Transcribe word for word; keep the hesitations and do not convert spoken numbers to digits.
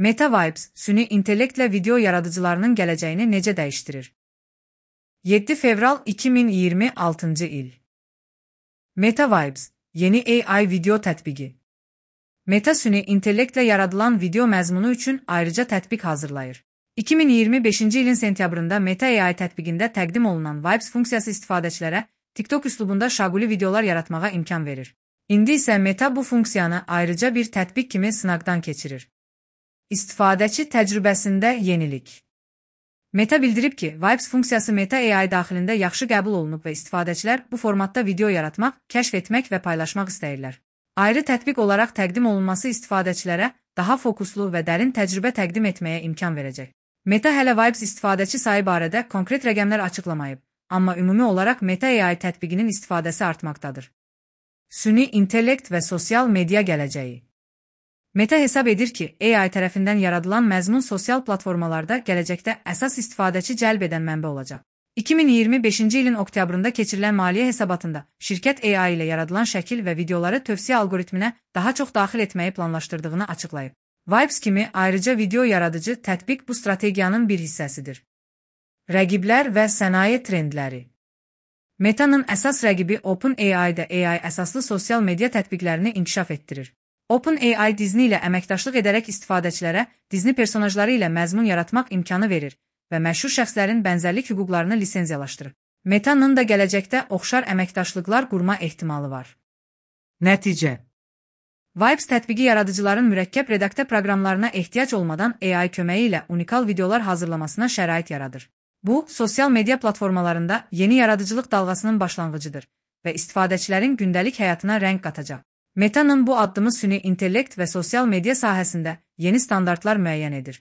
Meta Vibes, süni intellektlə video yaradıcılarının gələcəyini necə dəyişdirir? yeddi fevral iki min iyirmi altıncı il. Meta Vibes, yeni A I video tətbiqi. Meta süni intellektlə yaradılan video məzmunu üçün ayrıca tətbiq hazırlayır. iki min iyirmi beşinci ilin sentyabrında Meta A I tətbiqində təqdim olunan Vibes funksiyası istifadəçilərə TikTok üslubunda şaquli videolar yaratmağa imkan verir. İndi isə Meta bu funksiyanı ayrıca bir tətbiq kimi sınaqdan keçirir. İstifadəçi təcrübəsində yenilik. Meta bildirib ki, Vibes funksiyası Meta A I daxilində yaxşı qəbul olunub və istifadəçilər bu formatda video yaratmaq, kəşf etmək və paylaşmaq istəyirlər. Ayrı tətbiq olaraq təqdim olunması istifadəçilərə daha fokuslu və dərin təcrübə təqdim etməyə imkan verəcək. Meta hələ Vibes istifadəçi sayı barədə konkret rəqəmlər açıqlamayıb, amma ümumi olaraq Meta A I tətbiqinin istifadəsi artmaqdadır. Süni intellekt və sosial media gələcəyi. Meta hesab edir ki, A I tərəfindən yaradılan məzmun sosial platformalarda gələcəkdə əsas istifadəçi cəlb edən mənbə olacaq. iki min iyirmi beşinci ilin oktyabrında keçirilən maliyyə hesabatında şirkət A I ilə yaradılan şəkil və videoları tövsiyə algoritminə daha çox daxil etməyi planlaşdırdığını açıqlayıb. Vibes kimi ayrıca video yaradıcı tətbiq bu strategiyanın bir hissəsidir. Rəqiblər və sənaye trendləri. Meta'nın əsas rəqibi OpenAI-də A I əsaslı sosial media tətbiqlərini inkişaf etdirir. OpenAI Disney ilə əməkdaşlıq edərək istifadəçilərə Disney personajları ilə məzmun yaratmaq imkanı verir və məşhur şəxslərin bənzərlik hüquqlarını lisenziyalaşdırır. Meta'nın da gələcəkdə oxşar əməkdaşlıqlar qurma ehtimalı var. Nəticə. Vibes tətbiqi yaradıcıların mürəkkəb redaktə proqramlarına ehtiyac olmadan A I köməyi ilə unikal videolar hazırlamasına şərait yaradır. Bu, sosial media platformalarında yeni yaradıcılıq dalğasının başlanğıcıdır və istifadəçilərin gündəlik həyatına rəng qatacaq. Meta'nın bu addımı süni intellekt və sosial media sahəsində yeni standartlar müəyyən edir.